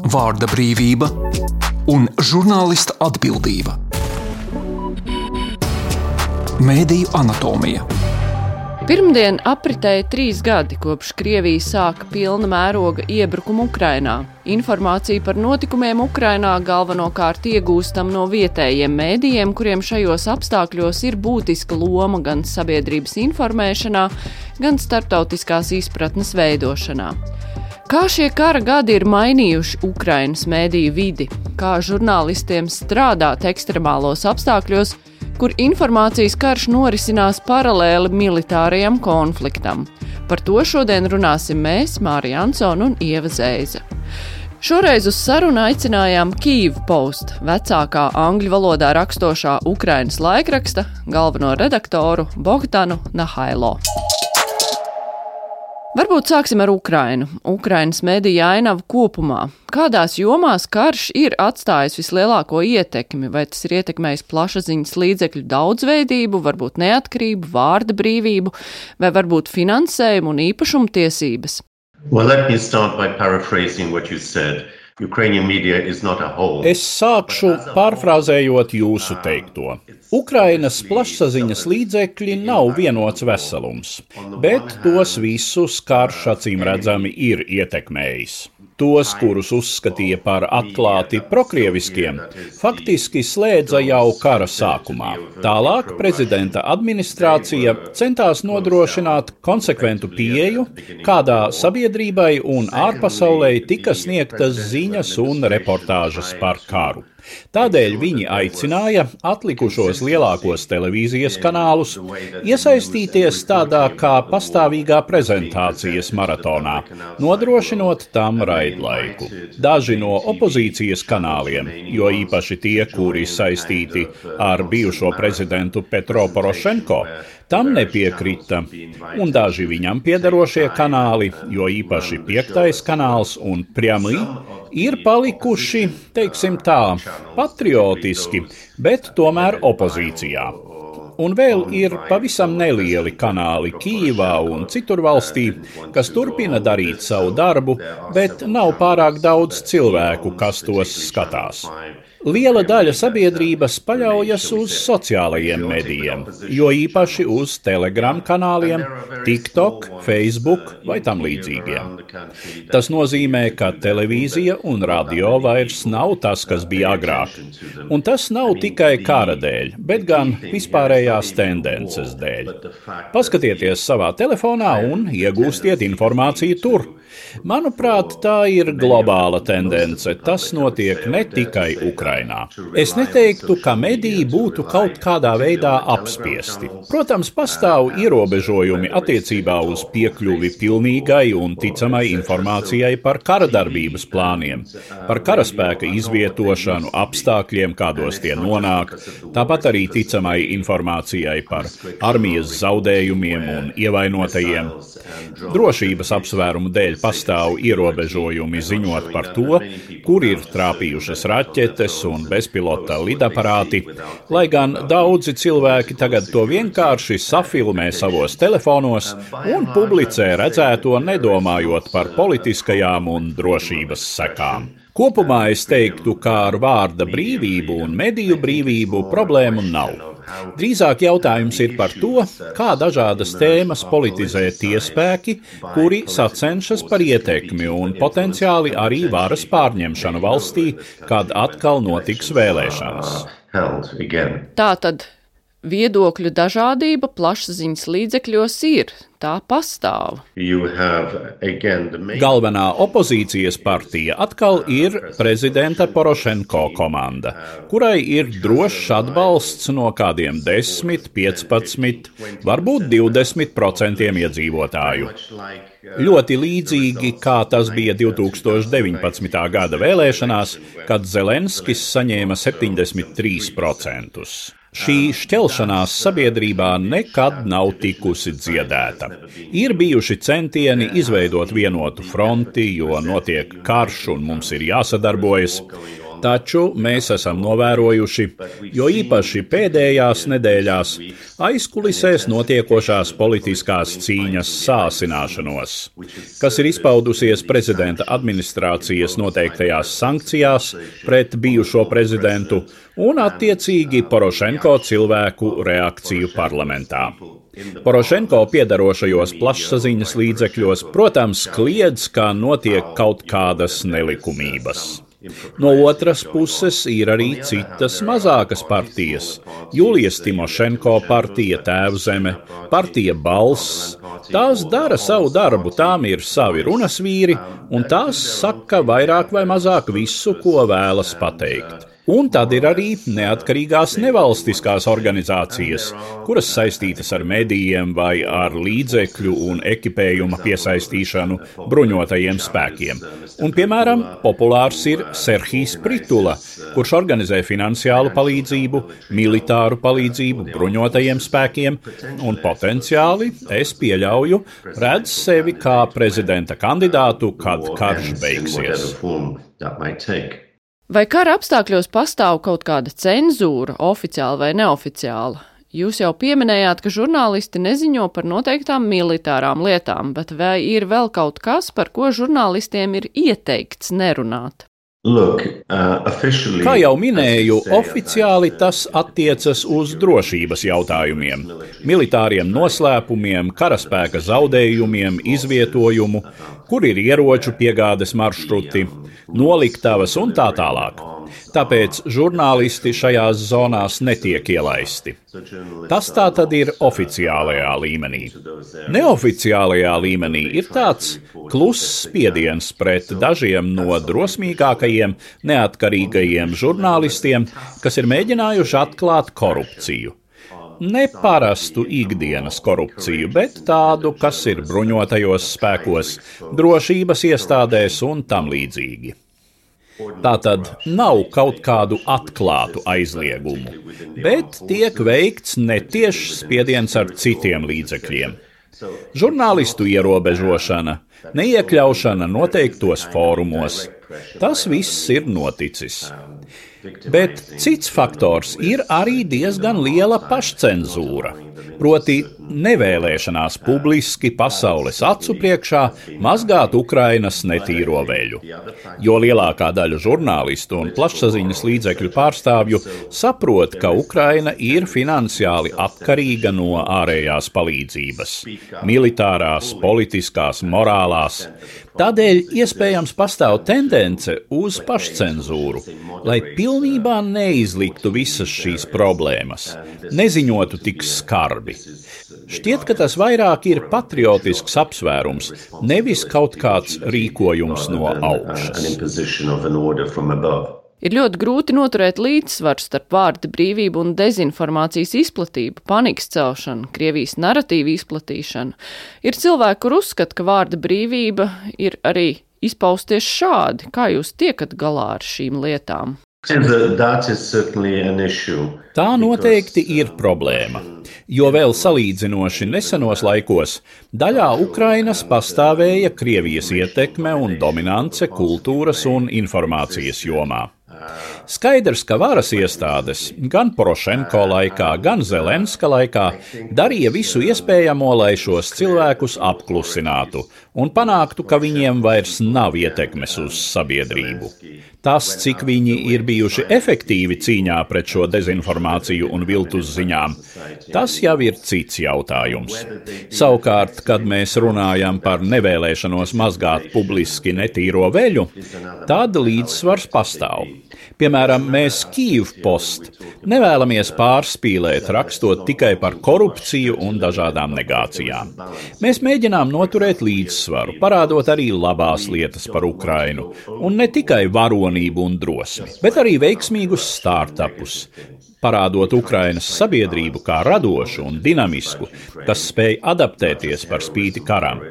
vārda brīvība un žurnālista atbildība. Mēdīju anatomija. Pirmdien apritēja 3 gadi, kopš Krievija sāka pilna mēroga iebrukumu Ukrainā. Informāciju par notikumiem Ukrainā galvenokārt iegūstam no vietējiem mēdījiem, kuriem šajos apstākļos ir būtiska loma gan sabiedrības informēšanā, gan starptautiskās izpratnes veidošanā. Kā šie kara gadi ir mainījuši Ukrainas mēdīju vidi? Kā žurnālistiem strādāt ekstremālos apstākļos, kur informācijas karš norisinās paralēli militārajam konfliktam? Par to šodien runāsim mēs, Mārija Ansone un Ieva Zēze. Šoreiz uz sarunu aicinājām Kyiv Post, vecākā angļu valodā rakstošā Ukrainas laikraksta, galveno redaktoru Bogdanu Nahailo. Varbūt sāksim ar Ukrainu. Ukrainas medija ainavu kopumā. Kādās jomās karš ir atstājis vislielāko ietekmi? Vai tas ir ietekmējis plašsaziņas līdzekļu daudzveidību, varbūt neatkarību, vārda brīvību, vai varbūt finansējumu un īpašumtiesības? Well, let me start by paraphrasing what you said. Ukrainian media is not a whole. Es sākšu pārfrāzējot jūsu teikto. Ukrainas plašsaziņas līdzekļi nav vienots veselums, bet tos visus karš acīm redzami ir ietekmējis. Tos, kurus uzskatīja par atklāti prokrieviskiem, faktiski slēdza jau kara sākumā. Tālāk prezidenta administrācija centās nodrošināt konsekventu pieeju, kādā sabiedrībai un ārpasaulei tika sniegtas ziņas un reportāžas par karu. Tādēļ viņi aicināja atlikušos lielākos televīzijas kanālus iesaistīties tādā kā pastāvīgā prezentācijas maratonā, nodrošinot tam raidlaiku. Daži no opozīcijas kanāliem, jo īpaši tie, kuri saistīti ar bijušo prezidentu Petro Porošenko, tam nepiekrita, un daži viņam piederošie kanāli, jo īpaši 5. kanāls un Prjamī, ir palikuši, teiksim tā, patriotiski, bet tomēr opozīcijā. Un vēl ir pavisam nelieli kanāli Kijivā un citur valstī, kas turpina darīt savu darbu, bet nav pārāk daudz cilvēku, kas tos skatās. Liela daļa sabiedrības paļaujas uz sociālajiem medijiem, jo īpaši uz Telegram kanāliem, TikTok, Facebook vai tam līdzīgiem. Tas nozīmē, ka televīzija un radio vairs nav tas, kas bija agrāk. Un tas nav tikai kara dēļ, bet gan vispārējās tendences dēļ. Paskatieties savā telefonā un iegūstiet informāciju tur. Manuprāt, tā ir globāla tendence. Tas notiek ne tikai Ukrainā. Es neteiktu, ka mediji būtu kaut kādā veidā apspiesti. Protams, pastāv ierobežojumi attiecībā uz piekļuvi pilnīgai un ticamai informācijai par kara darbības plāniem, par karaspēka izvietošanu, apstākļiem, kādos tie nonāk, tāpat arī ticamai informācijai par armijas zaudējumiem un ievainotajiem. Drošības apsvērumu dēļ pastāv ierobežojumi ziņot par to, kur ir trāpījušas raķetes un bezpilota lidaparāti, lai gan daudzi cilvēki tagad to vienkārši safilmē savos telefonos un publicē redzēto, nedomājot par politiskajām un drošības sekām. Kopumā es teiktu, ka ar vārda brīvību un mediju brīvību problēmu nav. Drīzāk jautājums ir par to, kā dažādas tēmas politizē tie spēki, kuri sacenšas par ietekmi un potenciāli arī varas pārņemšanu valstī, kad atkal notiks vēlēšanas. Tātad viedokļu dažādība plašsaziņas līdzekļos ir, tā pastāv. Galvenā opozīcijas partija atkal ir prezidenta Porošenko komanda, kurai ir drošs atbalsts no kādiem 10, 15, varbūt 20% iedzīvotāju. Ļoti līdzīgi, kā tas bija 2019. gada vēlēšanās, kad Zelenskis saņēma 73%. Šī šķelšanās sabiedrībā nekad nav tikusi dziedēta. Ir bijuši centieni izveidot vienotu fronti, jo notiek karš un mums ir jāsadarbojas. Taču mēs esam novērojuši, jo īpaši pēdējās nedēļās aizkulisēs notiekošās politiskās cīņas sāsināšanos, kas ir izpaudusies prezidenta administrācijas noteiktajās sankcijās pret bijušo prezidentu un attiecīgi Porošenko cilvēku reakciju parlamentā. Porošenko piedarošajos plašsaziņas līdzekļos, protams, kliedz, ka notiek kaut kādas nelikumības. No otras puses ir arī citas mazākas partijas. Julijas Timošenko partija Tēvzeme, partija Balss. Tās dara savu darbu, tām ir savi runasvīri, un tās saka vairāk vai mazāk visu, ko vēlas pateikt. Un tad ir arī neatkarīgās nevalstiskās organizācijas, kuras saistītas ar medijiem vai ar līdzekļu un ekipējuma piesaistīšanu bruņotajiem spēkiem. Un, piemēram, populārs ir Serhijs Pritula, kurš organizē finansiālu palīdzību, militāru palīdzību bruņotajiem spēkiem un potenciāli, es pieļauju, redz sevi kā prezidenta kandidātu, kad karš beigsies. Vai kara apstākļos pastāv kaut kāda cenzūra, oficiāla vai neoficiāla? Jūs jau pieminējāt, ka žurnālisti neziņo par noteiktām militārām lietām, bet vai ir vēl kaut kas, par ko žurnālistiem ir ieteikts nerunāt? Kā jau minēju, oficiāli tas attiecas uz drošības jautājumiem, militāriem noslēpumiem, karaspēka zaudējumiem, izvietojumu, kur ir ieroču piegādes maršruti, noliktavas un tā tālāk. Tāpēc žurnālisti šajās zonās netiek ielaisti. Tas tā tad ir oficiālajā līmenī. Neoficiālajā līmenī ir tāds kluss spiediens pret dažiem no drosmīgākajiem, neatkarīgajiem žurnālistiem, kas ir mēģinājuši atklāt korupciju. Ne parastu ikdienas korupciju, bet tādu, kas ir bruņotajos spēkos, drošības iestādēs un tam līdzīgi. Tātad nav kaut kādu atklātu aizliegumu, bet tiek veikts netiešs spiediens ar citiem līdzekļiem. Žurnālistu ierobežošana, neiekļaušana noteiktos fórumos. Tas viss ir noticis. Bet cits faktors ir arī diezgan liela pašcenzūra, proti nevēlēšanās publiski pasaules acu priekšā mazgāt Ukrainas netīro veļu. Jo lielākā daļa žurnālistu un plašsaziņas līdzekļu pārstāvju saprot, ka Ukraina ir finansiāli atkarīga no ārējās palīdzības, militārās, politiskās, morālās. Tādēļ iespējams pastāv tendence uz pašcenzūru, lai pilnībā neizliktu visas šīs problēmas, neziņotu tik skarbi. Šķiet, ka tas vairāk ir patriotisks apsvērums, nevis kaut kāds rīkojums no augšas. Ir ļoti grūti noturēt līdzsvaru starp vārda brīvību un dezinformācijas izplatību, panikas celšanu, Krievijas naratīvu izplatīšanu. Ir cilvēki, kur uzskata, ka vārda brīvība ir arī izpausties šādi. Kā jūs tiekat galā ar šīm lietām? Tā noteikti ir problēma, jo vēl salīdzinoši nesenos laikos daļā Ukrainas pastāvēja Krievijas ietekme un dominance kultūras un informācijas jomā. Skaidrs, ka varas iestādes gan Porošenko laikā, gan Zelenska laikā darīja visu iespējamo, lai šos cilvēkus apklusinātu un panāktu, ka viņiem vairs nav ietekmes uz sabiedrību. Tas, cik viņi ir bijuši efektīvi cīņā pret šo dezinformāciju un viltus ziņām, tas jau ir cits jautājums. Savukārt, kad mēs runājam par nevēlēšanos mazgāt publiski netīro veļu, tad līdzsvars pastāv. Piemēram, mēs Kyiv Post nevēlamies pārspīlēt, rakstot tikai par korupciju un dažādām negācijām. Mēs mēģinām noturēt līdzsvaru, parādot arī labās lietas par Ukrainu, un ne tikai varonību un drosmi, bet arī veiksmīgus startupus, parādot Ukrainas sabiedrību kā radošu un dinamisku, kas spēj adaptēties par spīti karam.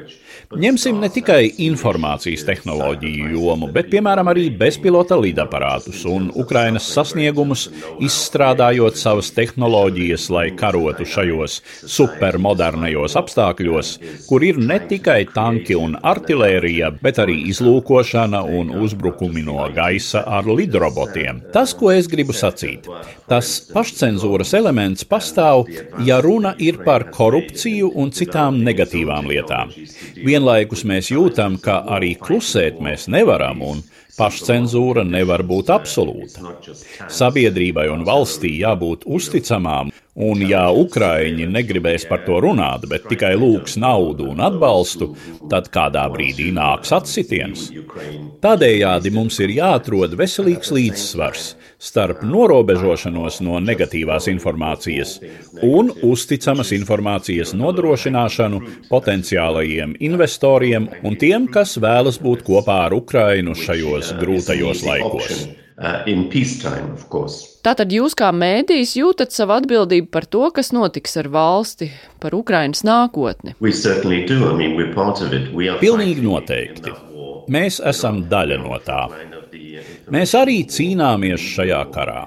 Ņemsim ne tikai informācijas tehnoloģiju jomu, bet, piemēram, arī bezpilota lidaparātus un Ukrainas sasniegumus, izstrādājot savas tehnoloģijas, lai karotu šajos supermodernajos apstākļos, kur ir ne tikai tanki un artilērija, bet arī izlūkošana un uzbrukumi no gaisa ar lidrobotiem. Tas, ko es gribu sacīt, tas pašcenzūras elements pastāv, ja runa ir par korupciju un citām negatīvām lietām. Vienlaikus mēs jūtam, ka arī klusēt mēs nevaram un pašcenzūra nevar būt absolūta. Sabiedrībai un valstī jābūt uzticamām, un ja Ukraiņi negribēs par to runāt, bet tikai lūgs naudu un atbalstu, tad kādā brīdī nāks atsitiens. Tādējādi mums ir jāatrod veselīgs līdzsvars starp norobežošanos no negatīvās informācijas un uzticamas informācijas nodrošināšanu potenciālajiem investoriem un tiem, kas vēlas būt kopā ar Ukrainu šajos grūtajos laikos. Tātad jūs kā mēdījis jūtat savu atbildību par to, kas notiks ar valsti, par Ukrainas nākotni? Pilnīgi noteikti. Mēs esam daļa no tā. Mēs arī cīnāmies šajā karā.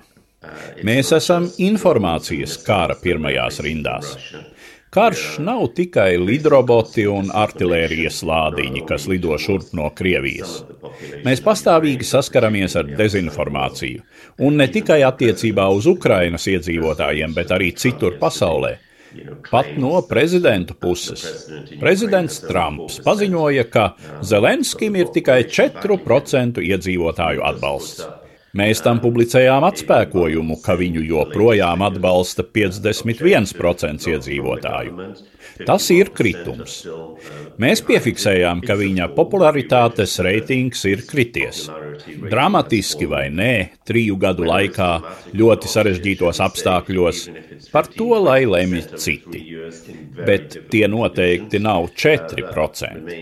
Mēs esam informācijas kara pirmajās rindās. Karš nav tikai lidroboti un artilērijas lādiņi, kas lido šurp no Krievijas. Mēs pastāvīgi saskaramies ar dezinformāciju, un ne tikai attiecībā uz Ukrainas iedzīvotājiem, bet arī citur pasaulē. Pat no prezidentu puses. Prezidents Trumps paziņoja, ka Zelenskim ir tikai 4% iedzīvotāju atbalsts. Mēs tam publicējām atspēkojumu, ka viņu joprojām atbalsta 51% iedzīvotāju. Tas ir kritums. Mēs piefiksējām, ka viņa popularitātes reitings ir krities. Dramatiski vai nē, 3 gadu laikā, ļoti sarežģītos apstākļos, par to lai lemj citi. Bet tie noteikti nav 4%.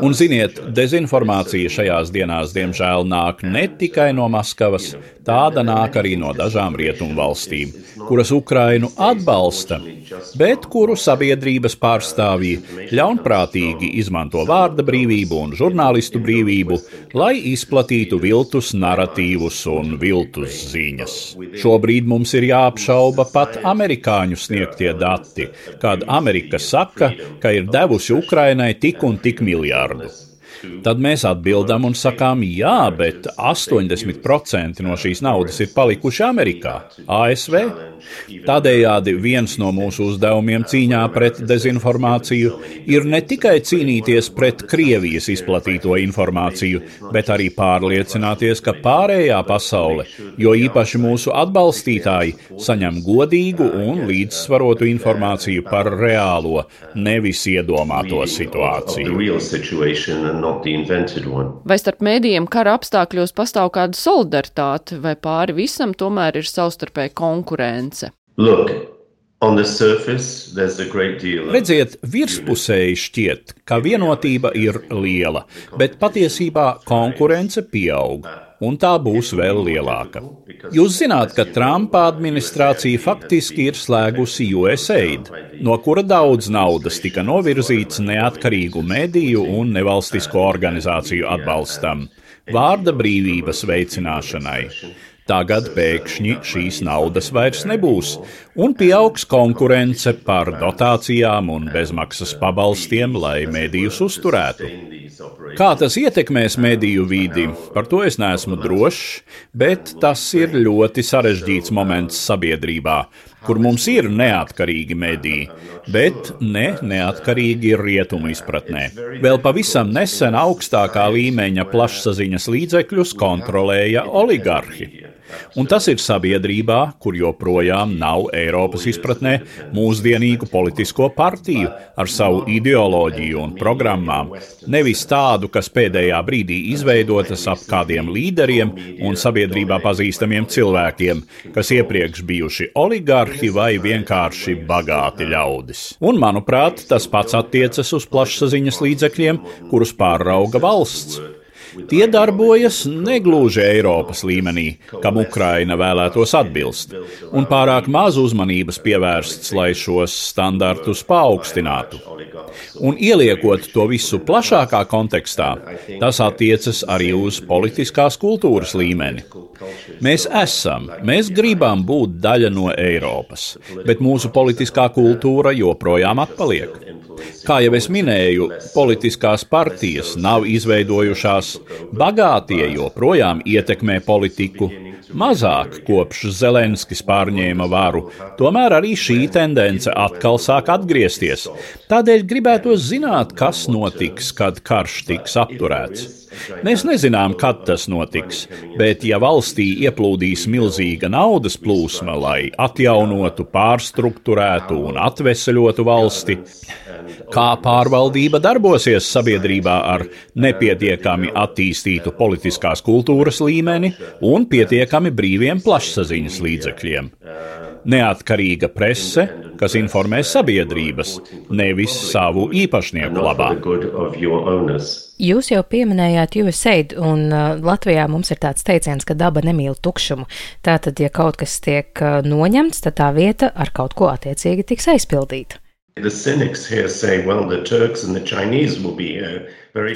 Un ziniet, dezinformācija šajās dienās diemžēl nāk ne tikai no Maskavas, tāda nāk arī no dažām rietumu valstīm, kuras Ukrainu atbalsta, bet kuru sabiedrības pārstāvji ļaunprātīgi izmanto vārda brīvību un žurnālistu brīvību, lai izplatītu viltus naratīvus un viltus ziņas. Šobrīd mums ir jāapšauba pat amerikāņu sniegtie dati, kad Amerika saka, ka ir devusi Ukrainai tik un tik miljardu. Tad mēs atbildam un sakām, jā, bet 80% no šīs naudas ir palikuši Amerikā, ASV. Tādējādi viens no mūsu uzdevumiem cīņā pret dezinformāciju ir ne tikai cīnīties pret Krievijas izplatīto informāciju, bet arī pārliecināties, ka pārējā pasaule, jo īpaši mūsu atbalstītāji, saņem godīgu un līdzsvarotu informāciju par reālo, nevis iedomāto situāciju. Vai starp mēdījiem kara apstākļos pastāv kāda solidaritāte, vai pāri visam tomēr ir savstarpēja konkurence? Redziet, virspusēji šķiet, ka vienotība ir liela, bet patiesībā konkurence pieaug, un tā būs vēl lielāka. Jūs zināt, ka Trumpa administrācija faktiski ir slēgusi USAID, no kura daudz naudas tika novirzīts neatkarīgu mediju un nevalstisko organizāciju atbalstam, vārda brīvības veicināšanai. Tagad pēkšņi šīs naudas vairs nebūs, un pieaugs konkurence par dotācijām un bezmaksas pabalstiem, lai medijus uzturētu. Kā tas ietekmēs mediju vidi, par to es neesmu drošs, bet tas ir ļoti sarežģīts moments sabiedrībā, kur mums ir neatkarīgi mediji, bet neatkarīgi rietumu izpratnē. Vēl pavisam nesen augstākā līmeņa plašsaziņas līdzekļus kontrolēja oligarhi. Un tas ir sabiedrībā, kur joprojām nav Eiropas izpratnē mūsdienīgu politisko partiju ar savu ideoloģiju un programmām, nevis tādu, kas pēdējā brīdī izveidotas ap kādiem līderiem un sabiedrībā pazīstamiem cilvēkiem, kas iepriekš bijuši oligarhi vai vienkārši bagāti ļaudis. Un, manuprāt, tas pats attiecas uz plašsaziņas līdzekļiem, kurus pārauga valsts. Tie darbojas negluži Eiropas līmenī, kam Ukraina vēlētos atbilst, un pārāk maz uzmanības pievērsts, lai šos standartus paaugstinātu. Un ieliekot to visu plašākā kontekstā, tas attiecas arī uz politiskās kultūras līmeni. Mēs gribam būt daļa no Eiropas, bet mūsu politiskā kultūra joprojām atpaliek. Kā jau es minēju, politiskās partijas nav izveidojušās, bagātie joprojām ietekmē politiku, mazāk kopš Zelenskis pārņēma varu, tomēr arī šī tendence atkal sāk atgriezties. Tādēļ gribētos zināt, kas notiks, kad karš tiks apturēts. Mēs nezinām, kad tas notiks, bet ja valstī ieplūdīs milzīga naudas plūsma, lai atjaunotu, pārstrukturētu un atveseļotu valsti, kā pārvaldība darbosies sabiedrībā ar nepietiekami attīstītu politiskās kultūras līmeni un pietiekami brīviem plašsaziņas līdzekļiem. Neatkarīga prese, kas informē sabiedrības, nevis savu īpašnieku labā. Jūs jau pieminējāt USAID, un Latvijā mums ir tāds teiciens, ka daba nemīl tukšumu. Tātad, ja kaut kas tiek noņemts, tad tā vieta ar kaut ko attiecīgi tiks aizpildīta.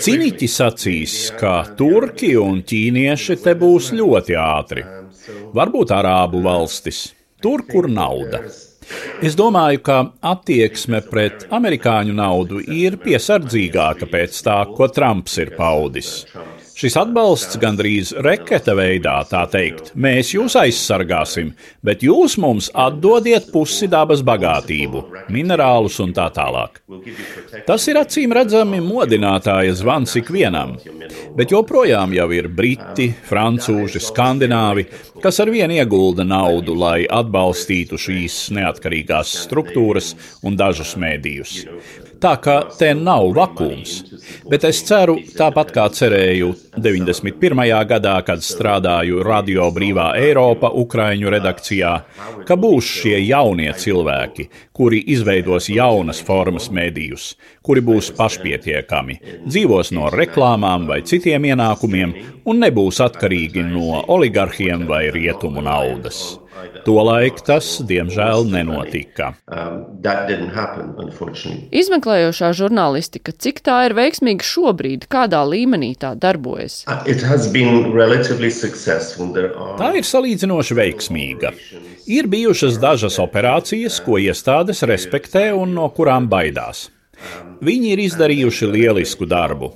Ciniķi sacīs, ka turki un ķīnieši te būs ļoti ātri. Varbūt arābu valstis. Tur, kur nauda. Es domāju, ka attieksme pret amerikāņu naudu ir piesardzīgāka pēc tā, ko Trumps ir paudis. Šis atbalsts gandrīz reketa veidā, tā teikt, mēs jūs aizsargāsim, bet jūs mums atdodiet pusi dabas bagātību, minerālus un tā tālāk. Tas ir acīm redzami modinātāja zvans ikvienam, bet joprojām jau ir briti, francūži, skandināvi, kas arvien iegulda naudu, lai atbalstītu šīs neatkarīgās struktūras un dažus mēdījus. Tā kā te nav vakums, bet es ceru, tāpat kā cerēju 91. gadā, kad strādāju Radio Brīvā Eiropa Ukraiņu redakcijā, ka būs šie jaunie cilvēki, kuri izveidos jaunas formas medijus, kuri būs pašpietiekami, dzīvos no reklāmām vai citiem ienākumiem un nebūs atkarīgi no oligarhiem vai rietumu naudas. Tolaik tas, diemžēl, nenotika. Izmeklējošā žurnālistika, cik tā ir veiksmīga šobrīd, kādā līmenī tā darbojas? Tā ir salīdzinoši veiksmīga. Ir bijušas dažas operācijas, ko iestādes respektē un no kurām baidās. Viņi ir izdarījuši lielisku darbu,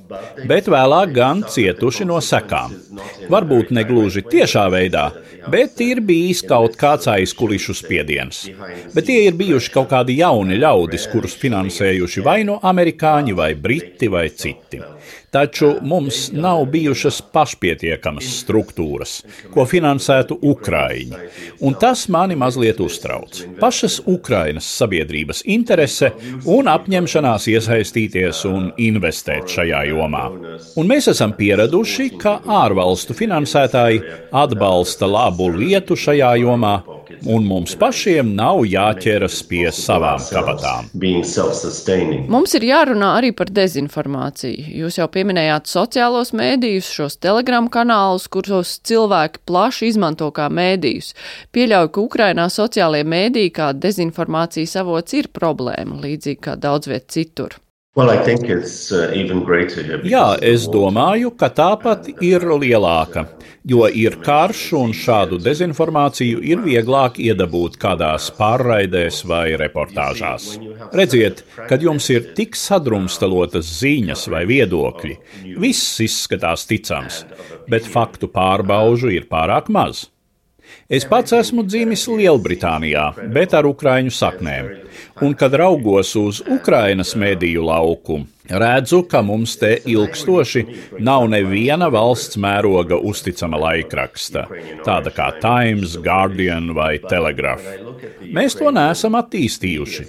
bet vēlāk gan cietuši no sekām. Varbūt negluži tiešā veidā, bet ir bijis kaut kāds aizkulišu spiediens. Bet tie ir bijuši kaut kādi jauni ļaudis, kurus finansējuši vai no amerikāņi, vai briti, vai citi. Taču mums nav bijušas pašpietiekamas struktūras, ko finansētu Ukraiņi, un tas mani mazliet uztrauc. Pašas Ukrainas sabiedrības interese un apņemšanās iesaistīties un investēt šajā jomā. Un mēs esam pieraduši, ka ārvalstu finansētāji atbalsta labu lietu šajā jomā, un mums pašiem nav jāķeras pie savām kabatām. Mums ir jārunā arī par dezinformāciju. Jūs jau pieminējāt sociālos mēdījus, šos Telegram kanālus, kuros cilvēki plaši izmanto kā mēdījus. Pieļauju, ka Ukrainā sociālie mēdīji kā dezinformācijas avots ir problēma, līdzīgi kā daudz viet citur. Jā, es domāju, ka tāpat ir lielāka, jo ir karš un šādu dezinformāciju ir vieglāk iedabūt kādās pārraidēs vai reportāžās. Redziet, kad jums ir tik sadrumstalotas ziņas vai viedokļi, viss izskatās ticams, bet faktu pārbaužu ir pārāk maz. Es pats esmu dzimis Lielbritānijā, bet ar ukraiņu saknēm, un kad raugos uz Ukrainas mediju lauku, redzu, ka mums te ilgstoši nav neviena valsts mēroga uzticama laikraksta, tāda kā Times, Guardian vai Telegraph. Mēs to neesam attīstījuši.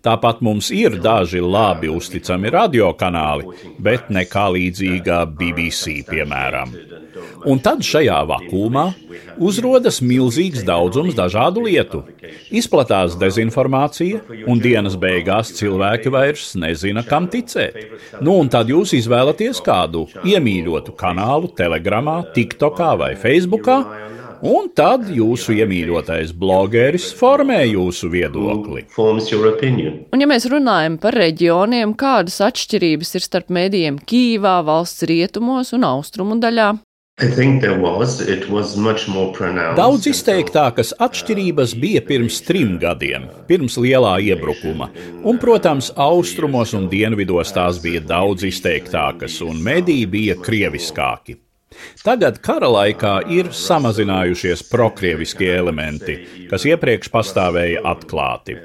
Tāpat mums ir daži labi uzticami radiokanāli, bet nekā līdzīga BBC, piemēram. Un tad šajā vakuumā uzrodas milzīgs daudzums dažādu lietu. Izplatās dezinformācija, un dienas beigās cilvēki vairs nezina, kam ticēt. Un tad jūs izvēlaties kādu iemīļotu kanālu Telegramā, TikTokā vai Facebookā, un tad jūsu iemīļotais blogeris formē jūsu viedokli. Un ja mēs runājam par reģioniem, kādas atšķirības ir starp medijiem Kīvā, valsts rietumos un austrumu daļā? Daudz izteiktākas atšķirības bija pirms 3 gadiem, pirms lielā iebrukuma, un, protams, austrumos un dienvidos tās bija daudz izteiktākas, un mediji bija krieviskāki. Tagad kara laikā ir samazinājušies prokrieviskie elementi, kas iepriekš pastāvēja atklāti.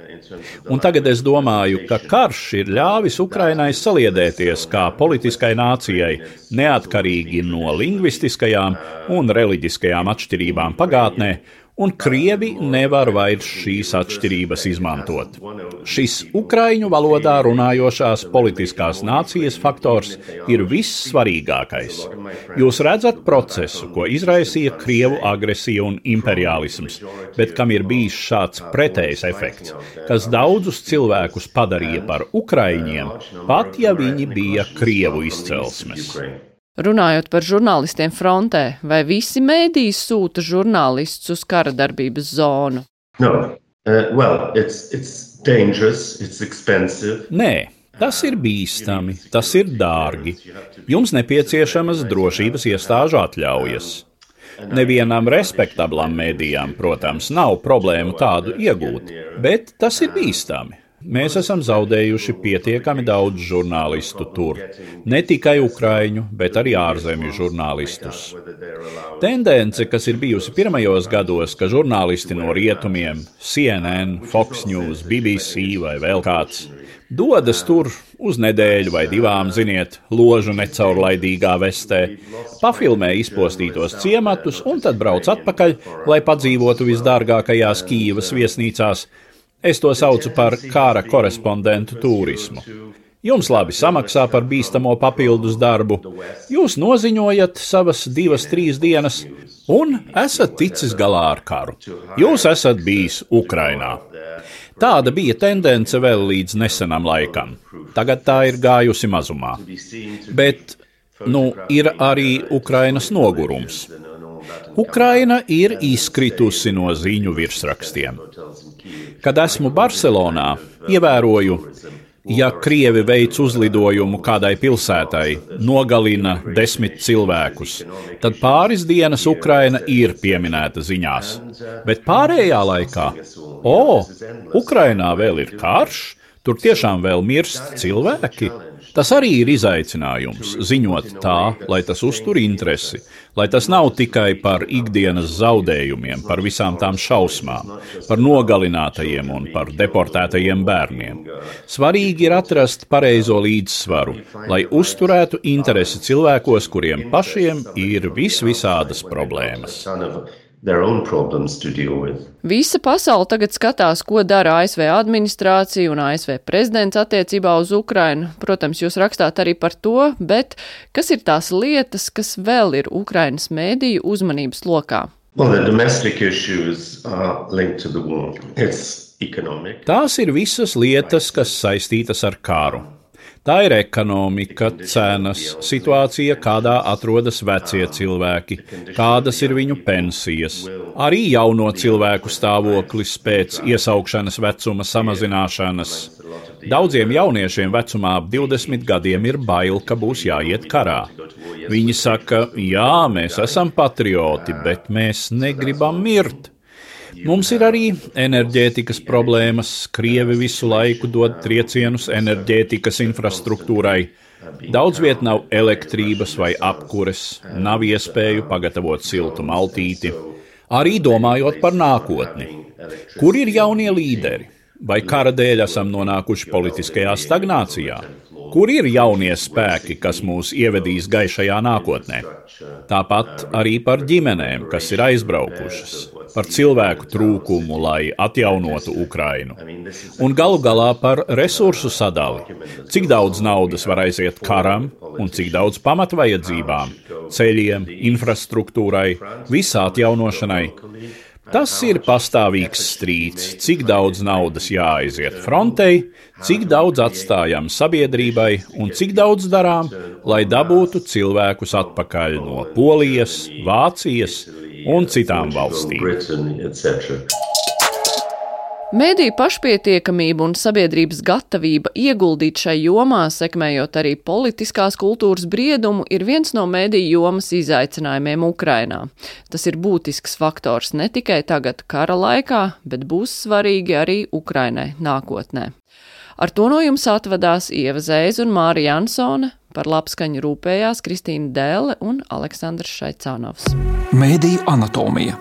Un tagad es domāju, ka karš ir ļāvis Ukrainai saliedēties kā politiskai nācijai, neatkarīgi no lingvistiskajām un reliģiskajām atšķirībām pagātnē, un Krievi nevar vairs šīs atšķirības izmantot. Šis ukraiņu valodā runājošās politiskās nācijas faktors ir vissvarīgākais. Jūs redzat procesu, ko izraisīja Krievu agresija un imperiālisms, bet kam ir bijis šāds pretējs efekts, kas daudzus cilvēkus padarīja par ukraiņiem, pat ja viņi bija Krievu izcelsmes. Runājot par žurnālistiem frontē, vai visi mēdīji sūta žurnālistus uz kara darbības zonu? Nē, tas ir bīstami, tas ir dārgi. Jums nepieciešamas drošības iestāžu atļaujas. Nevienam respektablam mēdījām, protams, nav problēmu tādu iegūt, bet tas ir bīstami. Mēs esam zaudējuši pietiekami daudz žurnālistu tur. Ne tikai ukraiņu, bet arī ārzemju žurnālistus. Tendence, kas ir bijusi pirmajos gados, ka žurnālisti no rietumiem, CNN, Fox News, BBC vai vēl kāds, dodas tur uz nedēļu vai 2, ziniet, ložu necaurlaidīgā vestē, pafilmē izpostītos ciematus un tad brauc atpakaļ, lai padzīvotu visdārgākajās Kīivas viesnīcās. Es to saucu par kara korespondentu turismu. Jums labi samaksā par bīstamo papildus darbu, jūs noziņojat savas 2-3 dienas un esat ticis galā ar karu. Jūs esat bijis Ukrainā. Tāda bija tendence vēl līdz nesenam laikam. Tagad tā ir gājusi mazumā. Bet, ir arī Ukrainas nogurums. Ukraina ir izkritusi no ziņu virsrakstiem. Kad esmu Barcelonā, ievēroju, ja Krievi veic uzlidojumu kādai pilsētai, nogalina 10 cilvēkus, tad pāris dienas Ukraina ir pieminēta ziņās. Bet pārējā laikā, Ukrainā vēl ir karš, tur tiešām vēl mirst cilvēki. Tas arī ir izaicinājums, ziņot tā, lai tas uztur interesi, lai tas nav tikai par ikdienas zaudējumiem, par visām tām šausmām, par nogalinātajiem un par deportētajiem bērniem. Svarīgi ir atrast pareizo līdzsvaru, lai uzturētu interesi cilvēkos, kuriem pašiem ir visvisādas problēmas. Visa pasaule tagad skatās, ko dara ASV administrācija un ASV prezidents attiecībā uz Ukrainu. Protams, jūs rakstāt arī par to, bet kas ir tās lietas, kas vēl ir Ukrainas mēdīju uzmanības lokā? Tās ir visas lietas, kas saistītas ar karu. Tā ir ekonomika, cenas, situācija, kādā atrodas vecie cilvēki, kādas ir viņu pensijas, arī jauno cilvēku stāvoklis pēc iesaukšanas vecuma samazināšanas. Daudziem jauniešiem vecumā ap 20 gadiem ir bail, ka būs jāiet karā. Viņi saka, jā, mēs esam patrioti, bet mēs negribam mirt. Mums ir arī enerģētikas problēmas. Krievi visu laiku dod triecienus enerģētikas infrastruktūrai. Daudz viet nav elektrības vai apkures, nav iespēju pagatavot siltu maltīti. Arī domājot par nākotni. Kur ir jaunie līderi? Vai kara dēļ esam nonākuši politiskajā stagnācijā? Kur ir jaunie spēki, kas mūs ievedīs gaišajā nākotnē? Tāpat arī par ģimenēm, kas ir aizbraukušas, par cilvēku trūkumu, lai atjaunotu Ukrainu. Un galu galā par resursu sadali. Cik daudz naudas var aiziet karam un cik daudz pamatvajadzībām, ceļiem, infrastruktūrai, visā atjaunošanai. Tas ir pastāvīgs strīds, cik daudz naudas jāaiziet frontei, cik daudz atstājam sabiedrībai un cik daudz darām, lai dabūtu cilvēkus atpakaļ no Polijas, Vācijas un citām valstīm. Mēdīju pašpietiekamība un sabiedrības gatavība ieguldīt šai jomā, sekmējot arī politiskās kultūras briedumu, ir viens no mēdīju jomas izaicinājumiem Ukrainā. Tas ir būtisks faktors ne tikai tagad kara laikā, bet būs svarīgi arī Ukrainai nākotnē. Ar to no jums atvadās Ieva Zēza un Mārija Jansone, par labskaņu rūpējās Kristīna Dēle un Aleksandrs Šaicānovs. Mēdīju anatomija.